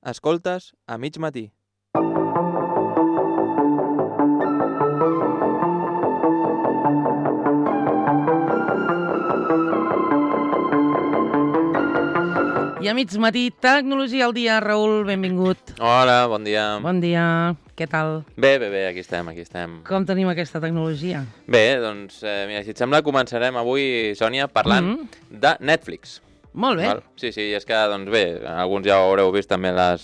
Escoltes a mig matí. I a mig matí, Tecnologia al dia. Raül, benvingut. Hola, bon dia. Bon dia. Què tal? Bé, aquí estem. Com tenim aquesta tecnologia? Bé, doncs, mira, si et sembla, començarem avui, Sònia, parlant de Netflix. Molt bé. Val? Sí, és que, doncs bé, alguns ja ho haureu vist, també ha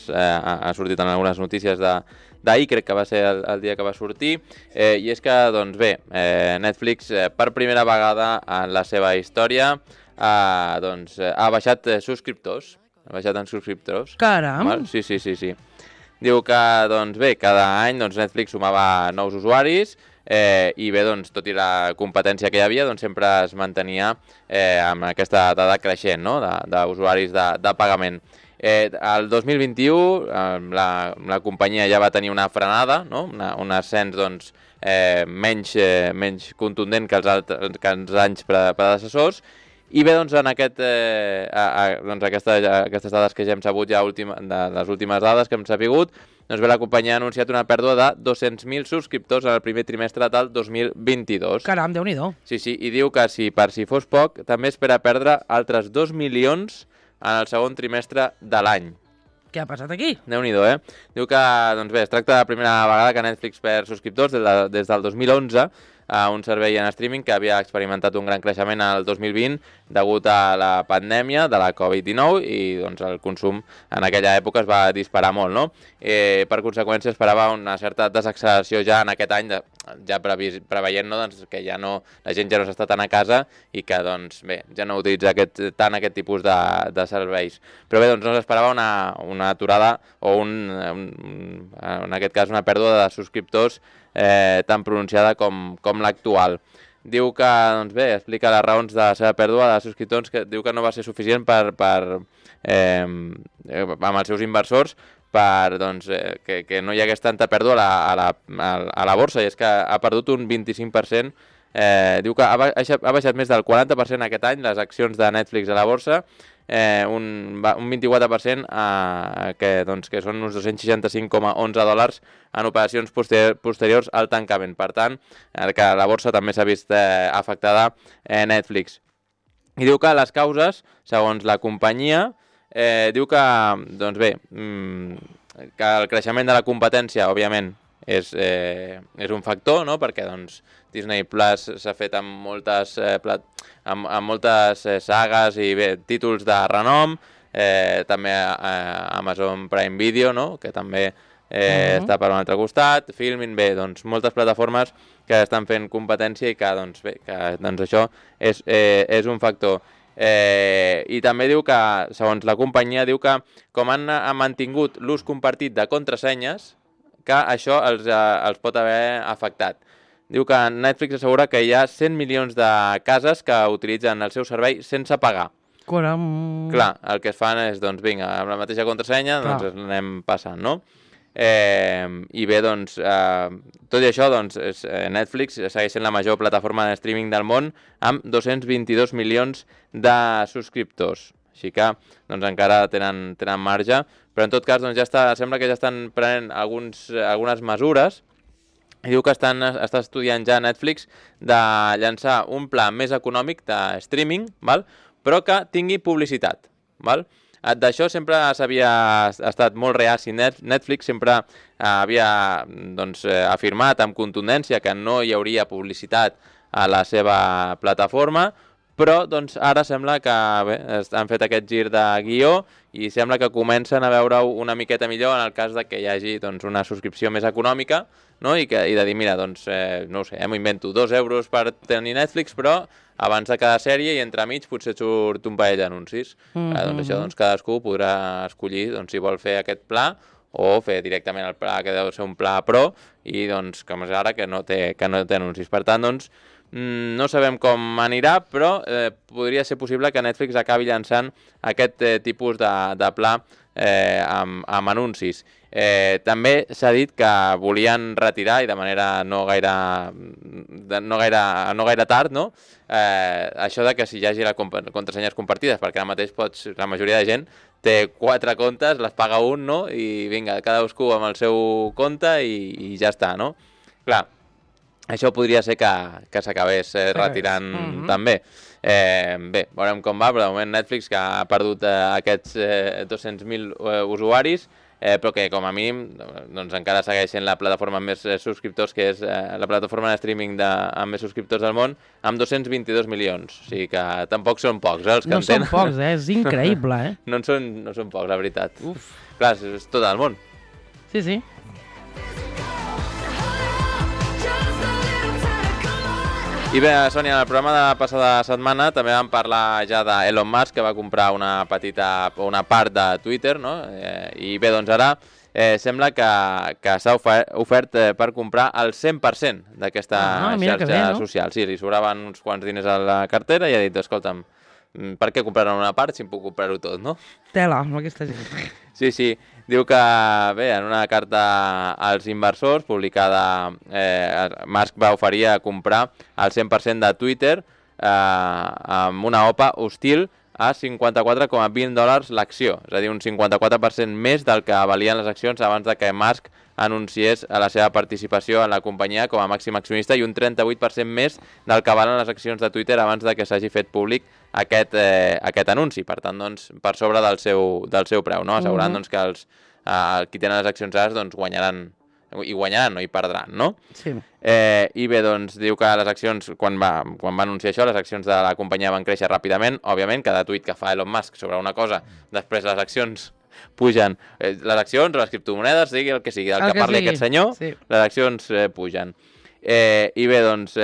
sortit en algunes notícies d'ahir, crec que va ser el dia que va sortir, i és que, doncs bé, Netflix, per primera vegada en la seva història, ha baixat subscriptors. Ha baixat en subscriptors. Caram! Val? Sí. Diu que, doncs bé, cada any Netflix sumava nous usuaris i bé, doncs, tot i la competència que hi havia, doncs sempre es mantenia amb aquesta dada creixent, no?, d'usuaris de pagament. El 2021 la companyia ja va tenir una frenada, no?, un ascens doncs, menys contundent que els anys predecessors. I bé, doncs, en aquestes dades que ja hem sabut, les últimes dades que hem sabut, doncs bé, la companyia ha anunciat una pèrdua de 200.000 subscriptors en el primer trimestre del 2022. Caram, Déu-n'hi-do. Sí, i diu que per si fos poc, també espera perdre altres 2 milions en el segon trimestre de l'any. Què ha passat aquí? Déu-n'hi-do, Diu que, doncs bé, es tracta de la primera vegada que Netflix perd subscriptors des del 2011, a un servei en streaming que havia experimentat un gran creixement el 2020 degut a la pandèmia de la Covid-19 i doncs, el consum en aquella època es va disparar molt, no? Per conseqüència esperava una certa desacceleració ja en aquest any, ja preveient, no, doncs, que la gent ja no s'està tant a casa i que doncs, bé, ja no utilitza tant aquest tipus de serveis. Però bé, doncs, no s'esperava una aturada o en aquest cas una pèrdua de subscriptors tan pronunciada com l'actual. Diu que, doncs bé, explica les raons de la seva pèrdua de subscriptors, que diu que no va ser suficient amb els seus inversors doncs, que no hi hagués tanta pèrdua a la borsa, i és que ha perdut un 25%. Diu que ha baixat més del 40% aquest any les accions de Netflix a la borsa, un 24%, que són uns $265,11 en operacions posteriors al tancament. Per tant, que la borsa també s'ha vist afectada Netflix. I diu que les causes, segons la companyia, diu que, doncs bé, que el creixement de la competència, òbviament, és un factor, no?, perquè doncs, Disney Plus s'ha fet amb moltes sagues i bé, títols de renom, també Amazon Prime Video, no?, que també està per un altre costat, Filmin, bé, doncs moltes plataformes que estan fent competència i que, doncs bé, això és un factor. I també diu que, segons la companyia, diu que com han mantingut l'ús compartit de contrasenyes, que això els pot haver afectat. Diu que Netflix assegura que hi ha 100 milions de cases que utilitzen el seu servei sense pagar. Caram. Clar, el que es fan és, doncs, vinga, amb la mateixa contrasenya, doncs anem passant, no? I bé, doncs, tot i això, doncs, Netflix segueix sent la major plataforma de streaming del món amb 222 milions de subscriptors. Així que, doncs, encara tenen marge, però en tot cas, doncs, sembla que ja estan prenent algunes mesures, i diu que està estudiant ja Netflix de llançar un pla més econòmic de streaming, val? Però que tingui publicitat. Val? D'això sempre s'havia estat molt reaci. Netflix sempre havia doncs, afirmat amb contundència que no hi hauria publicitat a la seva plataforma, però doncs, ara sembla que han fet aquest gir de guió i sembla que comencen a veure-ho una miqueta millor en el cas de que hi hagi doncs, una subscripció més econòmica, no? I de dir, mira, doncs, no ho sé, m'ho invento, 2 euros per tenir Netflix, però abans de cada sèrie i entremig potser surt un parell d'anuncis. Doncs això, doncs, cadascú podrà escollir doncs, si vol fer aquest pla o fer directament el pla, que deu ser un pla pro, i doncs, com és ara, que no té anuncis. Per tant, doncs, no sabem com anirà, però podria ser possible que Netflix acabi llançant aquest tipus de pla amb anuncis. També s'ha dit que volien retirar, i de manera no gaire tard, no? Això de que si hi hagi les contrasenyes compartides, perquè ara mateix la majoria de gent té 4 comptes, les paga un, no? I vinga, cadascú amb el seu compte i ja està, no? Clar, això podria ser que s'acabés retirant també. Bé, veurem com va, però de moment Netflix, que ha perdut aquests 200.000 usuaris, però que com a mínim doncs encara segueix sent la plataforma amb més subscriptors, que és la plataforma de streaming amb més subscriptors del món, amb 222 milions. O sigui que tampoc són pocs, els que no són pocs, és increïble, No són pocs, la veritat. Uf. Clar, és tot el món. Sí, sí. I bé, Sònia, en el programa de la passada setmana també vam parlar ja d'Elon Musk, que va comprar una part de Twitter, no? I bé, doncs ara sembla que s'ha ofert per comprar el 100% d'aquesta xarxa social. Sí, li sobraven uns quants diners a la cartera i ha dit, escolta'm, per què compraran una part si em puc comprar-ho tot, no? Tela, amb aquesta gent. Sí. Diu que, bé, en una carta als inversors publicada, Musk va oferir a comprar el 100% de Twitter amb una OPA hostil a $54,20 l'acció, és a dir, un 54% més del que valien les accions abans de que Musk anunciés la seva participació en la companyia com a màxim accionista i un 38% més del que valen les accions de Twitter abans de que s'hagi fet públic aquest anunci. Per tant, doncs, per sobre del seu preu, no? Assegurant doncs, que qui tenen les accions ara doncs, guanyaran, no hi perdran, no? Sí. I bé, doncs, diu que les accions, quan va anunciar això, les accions de la companyia van créixer ràpidament. Òbviament, cada tuit que fa Elon Musk sobre una cosa, després les accions pugen. Les accions o les criptomonedes, sigui el que sigui, del que parli aquest senyor, sí. Les accions pugen. I bé, doncs,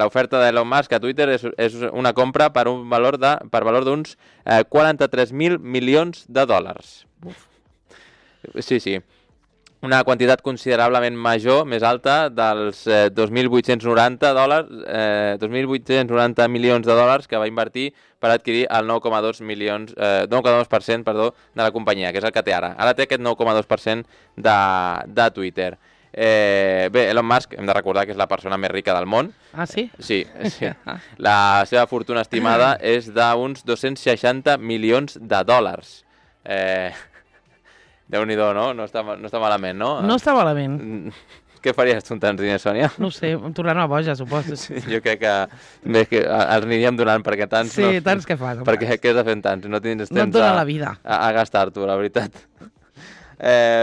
l'oferta d'Elon Musk a Twitter és una compra per valor d'uns 43.000 milions de dòlars. Sí. Una quantitat considerablement major, més alta, dels 2.890 milions de dòlars que va invertir per adquirir el 9,2% de la companyia, que és el que té ara. Ara té aquest 9,2% de Twitter. Bé, Elon Musk, hem de recordar que és la persona més rica del món. Ah, sí? Sí. La seva fortuna estimada és d'uns 260 milions de dòlars. Déu-n'hi-do, no? No està malament, no? No està malament. Què faries tu amb tants diners, Sònia? No ho sé, em tornaran a boja, suposo. Sí, jo crec que els aniríem donant, perquè tants... Sí, tants que fas. Perquè què has de fer amb tants? No tens temps et dona la vida a gastar-t'ho, la veritat.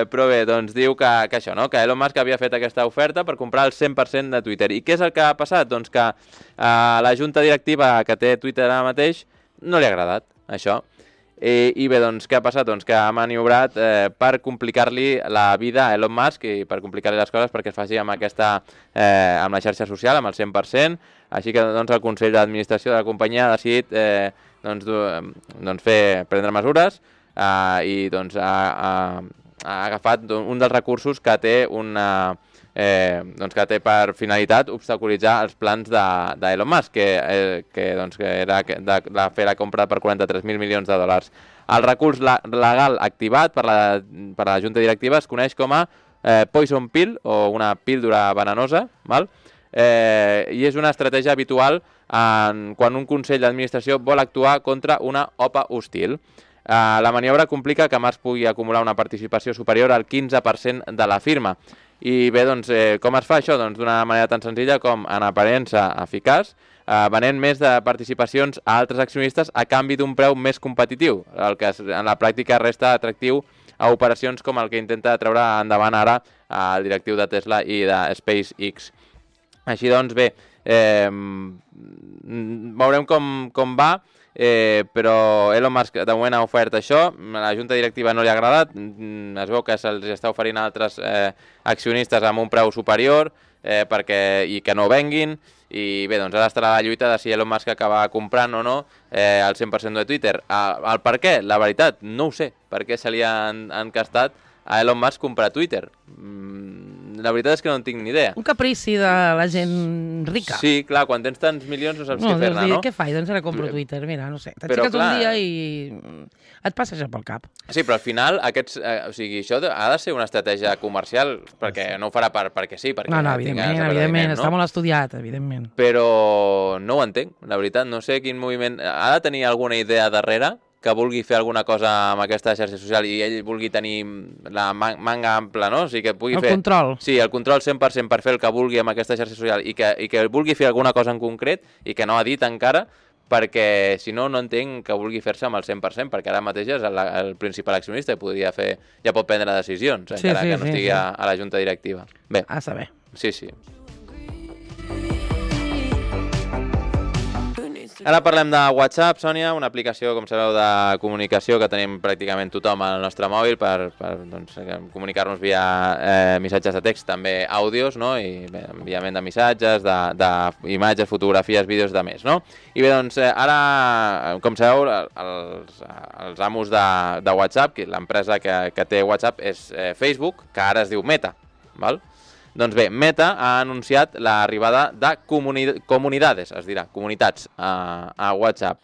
Però bé, doncs diu que això, no? Que Elon Musk havia fet aquesta oferta per comprar el 100% de Twitter. I què és el que ha passat? Doncs que la junta directiva que té Twitter ara mateix no li ha agradat, això. I bé, doncs, què ha passat? Doncs que ha maniobrat per complicar-li la vida a Elon Musk i per complicar-li les coses perquè es faci amb la xarxa social, amb el 100%. Així que doncs, el Consell d'Administració de la companyia ha decidit prendre mesures i doncs, ha agafat un dels recursos que té que té per finalitat obstaculitzar els plans d'Elon Musk, que era de fer la compra per 43.000 milions de dòlars. El recurs legal activat per la junta directiva es coneix com a Poison Pill, o una píldora venenosa, val? I és una estratègia habitual quan un consell d'administració vol actuar contra una OPA hostil. La maniobra complica que Musk pugui acumular una participació superior al 15% de la firma. I bé, doncs, com es fa això? Doncs d'una manera tan senzilla com, en aparença eficaç, venent més de participacions a altres accionistes a canvi d'un preu més competitiu, el que en la pràctica resta atractiu a operacions com el que intenta treure endavant ara el directiu de Tesla i de SpaceX. Així doncs, bé, veurem com va, però Elon Musk de moment ha ofert això, la junta directiva no li ha agradat, es veu que se'ls està oferint a altres accionistes amb un preu superior i que no venguin, i bé, doncs ara estarà la lluita de si Elon Musk acaba comprant o no el 100% de Twitter. El per què? La veritat, no ho sé, per què se li ha encastat a Elon Musk comprar Twitter. La veritat és que no en tinc ni idea. Un caprici de la gent rica. Sí, clar, quan tens tants milions no saps què fer-ne, no? Què faig? Doncs ara compro Twitter, mira, no sé. T'aixeques un dia i et passa això pel cap. Sí, però al final això ha de ser una estratègia comercial, perquè no ho farà perquè sí, perquè no, evidentment, està molt estudiat, evidentment. Però no ho entenc, la veritat, no sé quin moviment... Ha de tenir alguna idea darrere que vulgui fer alguna cosa amb aquesta xarxa social i ell vulgui tenir la manga ampla, no? O sigui, que pugui fer... control. Sí, el control 100% per fer el que vulgui amb aquesta xarxa social i que vulgui fer alguna cosa en concret i que no ha dit encara, perquè si no, no entenc que vulgui fer-se amb el 100%, perquè ara mateix és el principal accionista i ja pot prendre decisions, encara que no estigui a la junta directiva. Bé. A saber. Sí. Ara parlem de WhatsApp, Sònia, una aplicació, com sabeu, de comunicació que tenim pràcticament tothom al nostre mòbil per comunicar-nos via missatges de text, també àudios, no? I bé, enviament de missatges, d'imatges, fotografies, vídeos, de més, no? I bé, doncs, ara, com sabeu, els amos de WhatsApp, l'empresa que té WhatsApp és Facebook, que ara es diu Meta, val? Doncs bé, Meta ha anunciat l'arribada de comunidades, es dirà, comunitats a WhatsApp.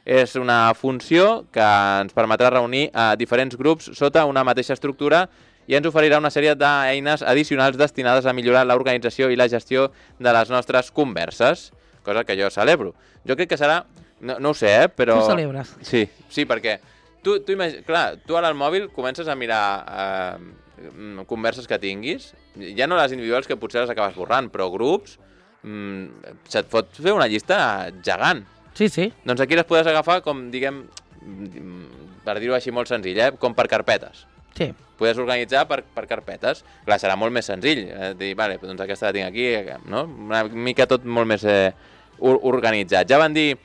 És una funció que ens permetrà reunir diferents grups sota una mateixa estructura i ens oferirà una sèrie d'eines addicionals destinades a millorar l'organització i la gestió de les nostres converses, cosa que jo celebro. Jo crec que serà, no ho sé, però... Tu celebres. Sí, perquè clar, tu ara al mòbil comences a mirar... converses que tinguis, ja no les individuals que potser les acabes borrant, però grups, se't pot fer una llista gegant. Sí. Doncs aquí les podràs agafar com, diguem, per dir-ho així molt senzill, com per carpetes. Sí. Podries organitzar per carpetes. Clar, serà molt més senzill. Dir, vale, doncs aquesta la tinc aquí, no? Una mica tot molt més organitzat. Ja van dir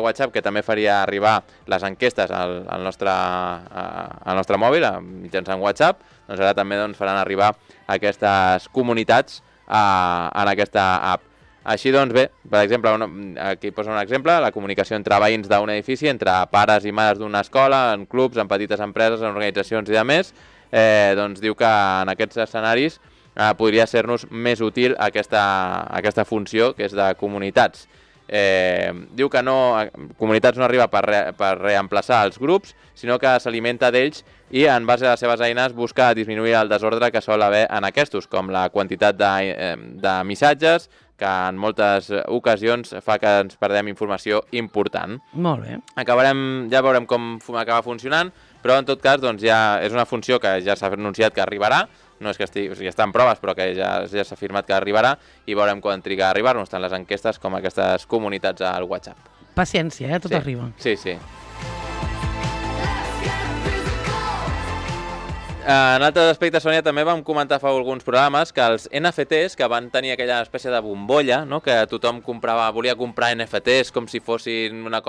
WhatsApp que també faria arribar les enquestes al nostre mòbil mitjançant WhatsApp, doncs ara també faran arribar aquestes comunitats en aquesta app. Així doncs bé, per exemple, aquí posa un exemple, la comunicació entre veïns d'un edifici, entre pares i mares d'una escola, en clubs, en petites empreses, en organitzacions i demés, doncs diu que en aquests escenaris podria ser-nos més útil aquesta funció que és de comunitats. Diu que comunitats no arriba per reemplaçar els grups, sinó que s'alimenta d'ells i en base a les seves eines busca disminuir el desordre que sol haver en aquests, com la quantitat de missatges, que en moltes ocasions fa que ens perdem informació important. Molt bé. Ja veurem com acaba funcionant, però en tot cas doncs, ja és una funció que ja s'ha anunciat que arribarà, no és que ja està en proves, però que ja s'ha afirmat que arribarà i veurem quan triga a arribar-nos tant les enquestes com aquestes comunitats al WhatsApp. Paciència, tot arriba. Sí. En altres aspectes, Sònia, també vam comentar fa alguns programes que els NFTs, que van tenir aquella espècie de bombolla, no? Que tothom volia comprar NFTs com si fossin una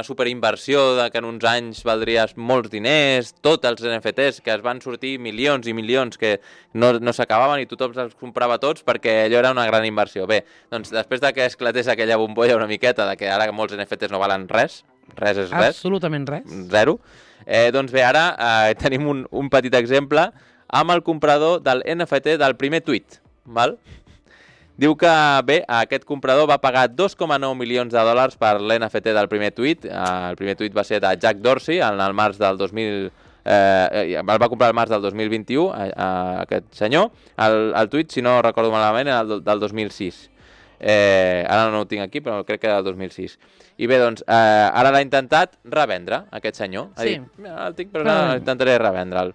superinversió que en uns anys valdries molts diners, tots els NFTs, que es van sortir milions i milions que no s'acabaven i tothom els comprava tots perquè allò era una gran inversió. Bé, doncs després de que esclatés aquella bombolla una miqueta de que ara molts NFTs no valen res és res. Absolutament res. Zero. Doncs bé, ara tenim un petit exemple amb el comprador del NFT del primer tuit. Val? Diu que, bé, aquest comprador va pagar $2,9 milions per l'NFT del primer tuit. El primer tuit va ser de Jack Dorsey, el març del 2000... el va comprar al març del 2021, aquest senyor. El tuit, si no recordo malament, era del 2006. Ara no ho tinc aquí, però crec que era del 2006. I bé, doncs, ara l'ha intentat revendre, aquest senyor. Ha dit, el tinc, però intentaré revendre'l.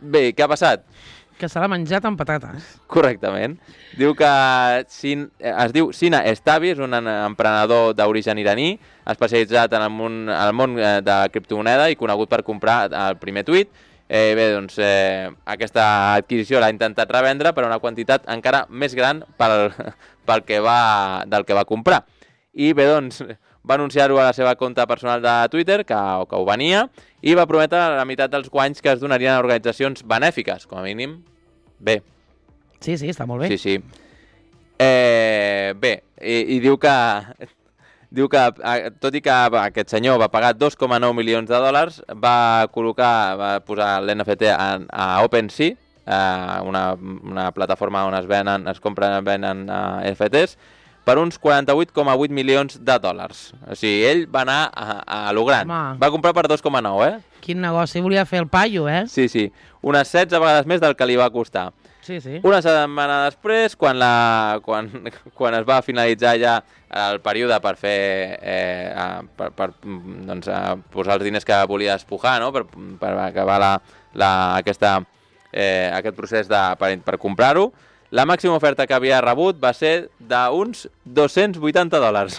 Bé, què ha passat? Que se l'ha menjat amb patates. Correctament. Diu que es diu Sina Estavi, és un emprenedor d'origen iraní, especialitzat en el món de la criptomoneda i conegut per comprar el primer tuit. Bé, doncs, aquesta adquisició l'ha intentat revendre per una quantitat encara més gran del que va comprar. I bé, doncs, va anunciar-ho a la seva compte personal de Twitter, que ho venia, i va prometre la meitat dels guanys que es donarien a organitzacions benèfiques, com a mínim. Bé. Sí, està molt bé. Sí. Bé, i diu que tot i que aquest senyor va pagar $2,9 milions, va posar l'NFT a OpenSea, una plataforma on es compren i venen NFTs, per uns $48,8 milions. O sigui, ell va anar a lo gran. Home. Va comprar per 2,9, Quin negoci, volia fer el paio, Sí. Unes 16 vegades més del que li va costar. Sí, sí. Una setmana després, quan es va finalitzar ja el període per fer per doncs, posar els diners que volia despujar, no? per acabar aquest procés per comprar-ho, la màxima oferta que havia rebut va ser d'uns $280.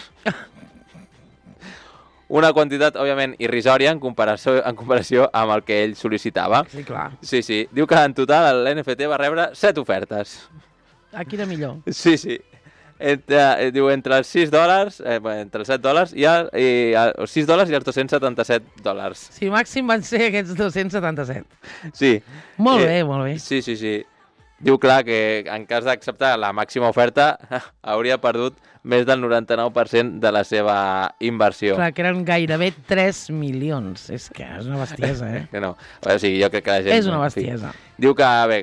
Una quantitat, òbviament, irrisòria en comparació amb el que ell sol·licitava. Sí, clar. Sí. Diu que en total l'NFT va rebre 7 ofertes. Aquí era millor. Sí. Diu entre els $6, entre els $7 i els $6 i els $277. Sí, màxim van ser aquests 277. Sí. Molt bé, molt bé. Sí. Diu, clar, que en cas d'acceptar la màxima oferta hauria perdut més del 99% de la seva inversió. Clar, que eren gairebé 3 milions. És que és una bestiesa, eh? Que no. O sigui, jo crec que la gent... És una bestiesa. Diu que, bé,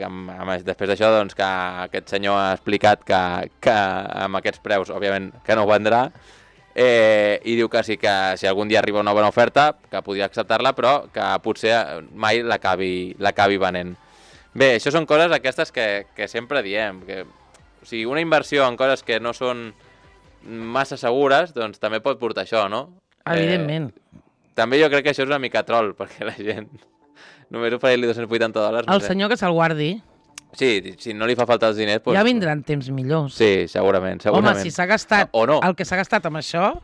després d'això, doncs, que aquest senyor ha explicat que amb aquests preus, òbviament, que no ho vendrà, i diu que sí que si algun dia arriba una bona oferta, que podria acceptar-la, però que potser mai l'acabi venent. Bé, això són coses aquestes que sempre diem. O sigui, una inversió en coses que no són massa segures, doncs també pot portar això, no? Evidentment. També jo crec que això és una mica troll, perquè la gent només oferir-li $280... El senyor que se'l guardi. Sí, si no li fa falta els diners... Doncs... Ja vindran temps millors. Sí, segurament. Home, si s'ha gastat no. el que s'ha gastat amb això,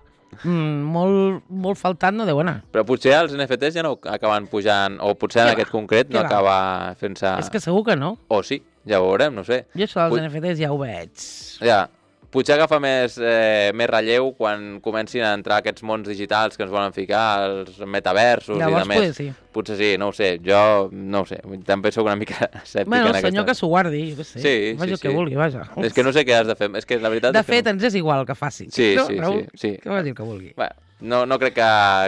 molt faltant no deu anar. Però potser els NFTs ja no acaben pujant, o potser en aquest concret no acaba fent-se... És que segur que no. O sí, ja ho veurem, no sé. Jo això dels NFTs ja ho veig. Ja, potser agafa més relleu quan comencin a entrar aquests mons digitals que ens volen ficar, els metaversos. Llavors, i demés. sí. Potser sí, no ho sé. Jo no ho sé. També soc una mica escèptic bueno, en el senyor que s'ho guardi, jo què sé. Sí, faci el que vulgui, vaja. És que no sé què has de fer. És que la veritat de fet, ens és igual el que faci. Sí, no, sí, Raül? sí. Que faci el que vulgui. Bueno, no crec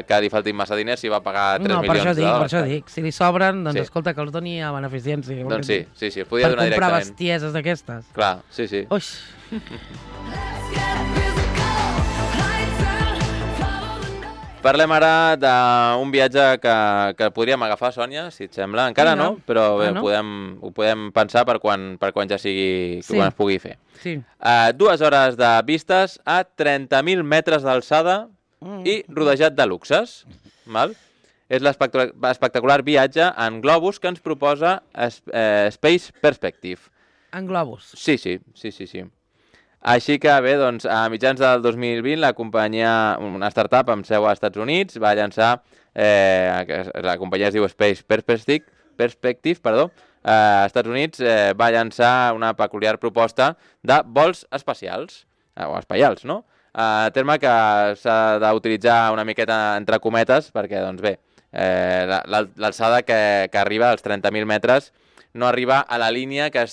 que li faltin massa diners si va pagar 3 milions de dòlars. Per això dic. Si li sobren, doncs escolta, que els doni a beneficència. Doncs sí, es podia donar directament. Per comprar bestieses d'aquestes. Clar, sí. Uix. Parlem ara d'un viatge que podríem agafar, Sònia, si et sembla. Encara no, però bé, no? ho podem pensar per quan ja sigui, quan es pugui fer. Sí. 2 hores de vistes a 30.000 metres d'alçada i rodejat de luxes. Val? És l'espectacular viatge en globus que ens proposa Space Perspective. En globus? Sí. Així que bé, doncs, a mitjans del 2020 la companyia, una startup amb seu als Estats Units, va llançar, la companyia es diu Space Perspective, als Estats Units va llançar una peculiar proposta de vols espacials, o espaials, no? Terme que s'ha d'utilitzar una miqueta entre cometes, perquè, doncs bé, l'alçada que arriba als 30.000 metres no arriba a la línia que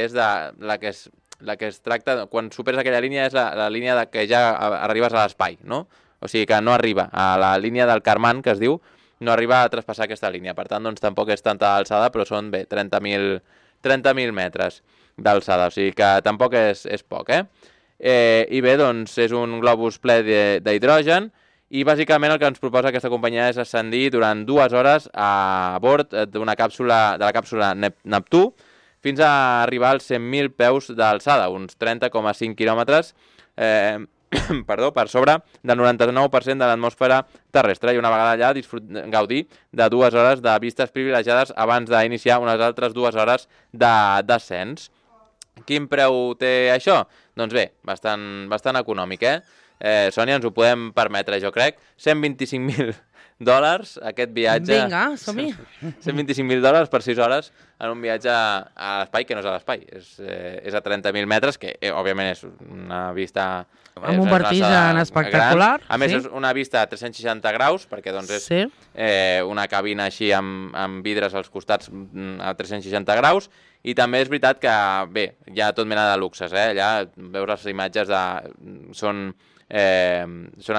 és de la que es tracta, quan superes aquella línia és la línia que ja arribes a l'espai, no? O sigui que no arriba a la línia del Kármán, que es diu, no arriba a traspassar aquesta línia. Per tant, doncs tampoc és tanta alçada, però són, bé, 30.000 metres d'alçada, o sigui que tampoc és poc, I bé, doncs, és un globus ple d'hidrogen i bàsicament el que ens proposa aquesta companyia és ascendir durant 2 hores a bord de la càpsula Neptú, fins a arribar als 100.000 peus d'alçada, uns 30,5 quilòmetres per sobre del 99% de l'atmosfera terrestre, i una vegada allà gaudir de 2 hores de vistes privilegiades abans d'iniciar unes altres 2 hores de descens. Quin preu té això? Doncs bé, bastant econòmic, Sònia, ens ho podem permetre, jo crec. $125.000 aquest viatge... Vinga, som-hi. $125.000 per 6 hores en un viatge a l'espai, que no és a l'espai, és a 30.000 metres, que òbviament és una vista... Amb un vertigen espectacular. A més, és una vista a 360 graus, perquè doncs és una cabina així amb vidres als costats a 360 graus, i també és veritat que, bé, hi ha tot mena de luxes, allà veus les imatges són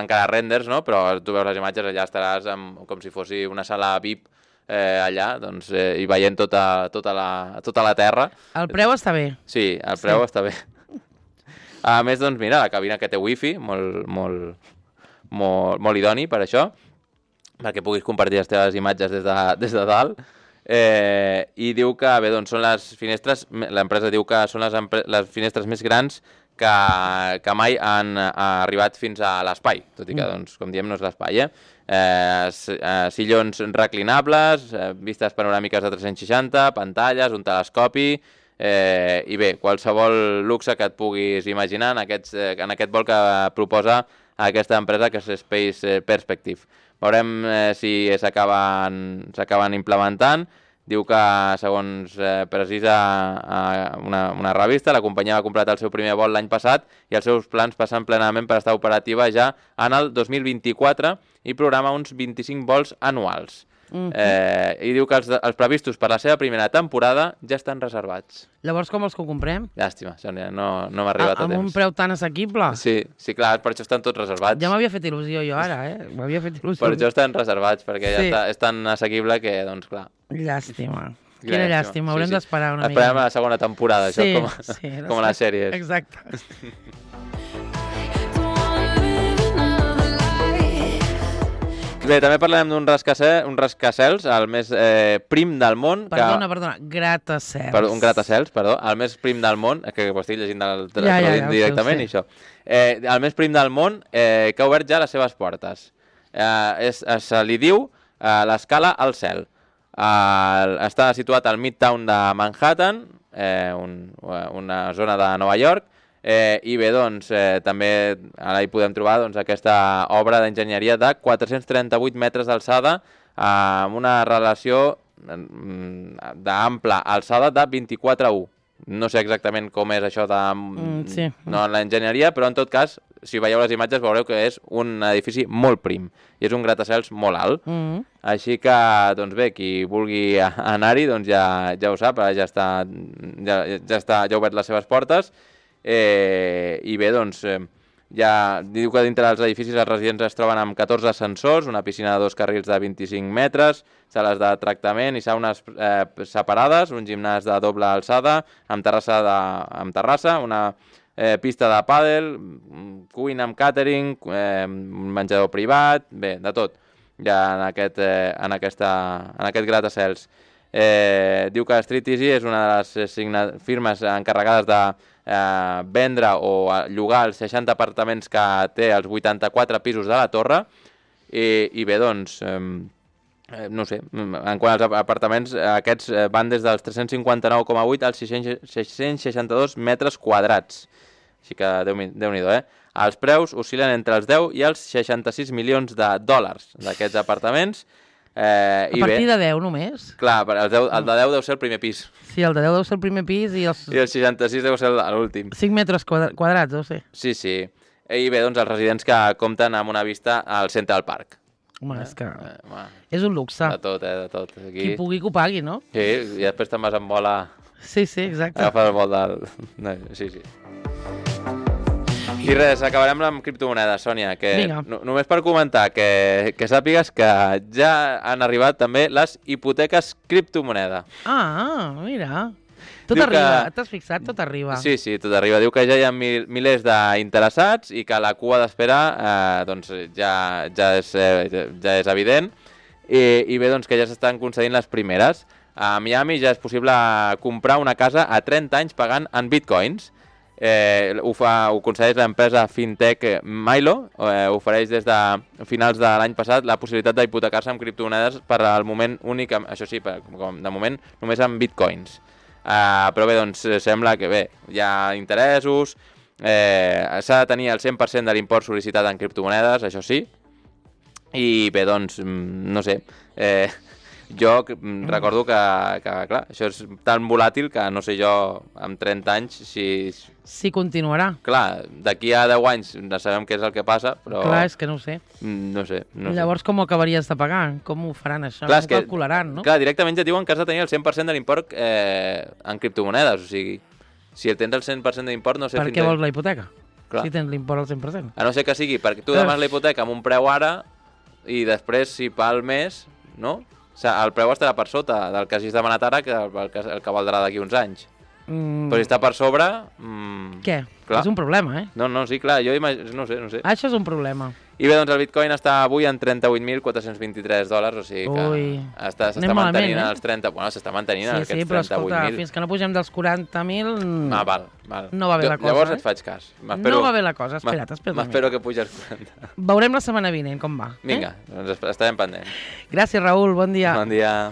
encara renders, no? Però tu veus les imatges, allà estaràs com si fos una sala VIP allà, doncs, i veient tota la Terra. El preu està bé. Sí, el preu està bé. A més, doncs, mira, la cabina que té wifi, molt idoni per això, perquè puguis compartir les teves imatges des de dalt. I diu que, bé, doncs són les finestres, l'empresa diu que són les finestres més grans que mai han arribat fins a l'espai, tot i que, doncs, com diem, no és l'espai, sillons reclinables, vistes panoràmiques de 360, pantalles, un telescopi, i bé, qualsevol luxe que et puguis imaginar en aquest vol que proposa aquesta empresa, que és Space Perspective. Veurem si s'acaben implementant. Diu que, segons precisa una revista, la companyia va completar el seu primer vol l'any passat i els seus plans passen plenament per estar operativa ja en el 2024 i programa uns 25 vols anuals. I diu que els previstos per la seva primera temporada ja estan reservats. Llavors, com els que ho comprem? Llàstima, Sònia, no m'ha arribat a temps. Amb un preu tan assequible? Sí, clar, per això estan tots reservats. Ja m'havia fet il·lusió jo ara, M'havia fet il·lusió. Per això estan reservats, perquè ja és tan assequible que, doncs, clar. Llàstima. Quina llàstima, haurem d'esperar una mica. Esperem a la segona temporada, això, com a les sèries. Exacte. Bé, també parlarem d'un rascacels, el més prim del món. Perdona, gratacels. Un gratacels, perdó, el més prim del món, que ho estic llegint directament, i això. El més prim del món, que ha obert ja les seves portes. Se li diu l'escala al cel. Està situat al Midtown de Manhattan, una zona de Nova York, i bé, doncs, també ara hi podem trobar aquesta obra d'enginyeria de 438 metres d'alçada amb una relació d'ampla alçada de 24:1. No sé exactament com és això de l'enginyeria, però en tot cas, si veieu les imatges veureu que és un edifici molt prim i és un gratacels molt alt. Així que, doncs bé, qui vulgui anar-hi doncs ja ho sap, ja ha obert les seves portes. I bé, doncs, ja diu que dintre dels edificis els residents es troben amb 14 ascensors, una piscina de 2 carrils de 25 metres, sales de tractament i saunes separades, un gimnàs de doble alçada, amb terrassa, una pista de pàdel, cuina amb càtering, menjador privat, bé, de tot, ja en aquest gratacels. Diu que Street Easy és una de les firmes encarregades de vendre o llogar els 60 apartaments que té als 84 pisos de la torre i bé, doncs, no sé, en quant als apartaments, aquests van des dels 359,8 als 662 metres quadrats. Així que Déu-n'hi-do, Els preus oscil·len entre els 10 i els 66 milions de dòlars d'aquests apartaments. A partir de 10 només? Clar, el de 10 deu ser el primer pis. Sí, el de 10 deu ser el primer pis i els 66 deu ser l'últim. 5 metres quadrats, deu ser. Sí. I bé, doncs els residents que compten amb una vista al Central Park. Home, és que és un luxe. De tot. Aquí. Qui pugui que ho pagui, no? Sí, i després te'n vas amb vol a... Sí, exacte. Agafar el vol del... Sí. I res, acabarem amb criptomonedes, Sònia, que només per comentar que sàpigues que ja han arribat també les hipoteques criptomoneda. Mira. Tot arriba, t'has fixat? Tot arriba. Sí, tot arriba. Diu que ja hi ha milers d'interessats i que la cua d'espera doncs ja és evident i bé, doncs que ja s'estan concedint les primeres. A Miami ja és possible comprar una casa a 30 anys pagant en bitcoins. Ho concedeix l'empresa fintech Milo, ofereix des de finals de l'any passat la possibilitat d'hipotecar-se amb criptomonedes per al moment únic, això sí, de moment només amb bitcoins. Però bé, doncs sembla que bé, hi ha interessos, s'ha de tenir el 100% de l'import sol·licitat en criptomonedes, això sí, i bé, doncs, no sé, jo recordo que, clar, això és tan volàtil que no sé jo, amb 30 anys, si continuarà. Clar, d'aquí a 10 anys no sabem què és el que passa, però... Clar, és que no ho sé. No sé. Llavors, com ho acabaries de pagar? Com ho faran això? Clar, com ho calcularan, no? Clar, directament ja diuen que has de tenir el 100% de l'import en criptomonedes, o sigui, si tens el 100% d'import, no sé... Per què vols la hipoteca? Clar. Si tens l'import al 100%. A no ser que sigui perquè tu demanes la hipoteca amb un preu ara i després, si pel mes, no? O sigui, el preu estarà per sota del que hagis demanat ara que el que valdrà d'aquí uns anys. Però si està per sobre... Què? Clar. És un problema, eh? No, sí, clar, jo no sé. Això és un problema. I bé, doncs el Bitcoin està avui en $38.423, o sigui que s'està mantenint als 30... Bueno, s'està mantenint en aquests 38.000. Sí, però escolta, fins que no pugem dels 40.000... Val. No va bé la cosa, Llavors et faig cas. No va bé la cosa, espera't. M'espero que pugi als 40. Veurem la setmana vinent com va. Vinga, doncs estarem pendents. Gràcies, Raül, bon dia. Bon dia.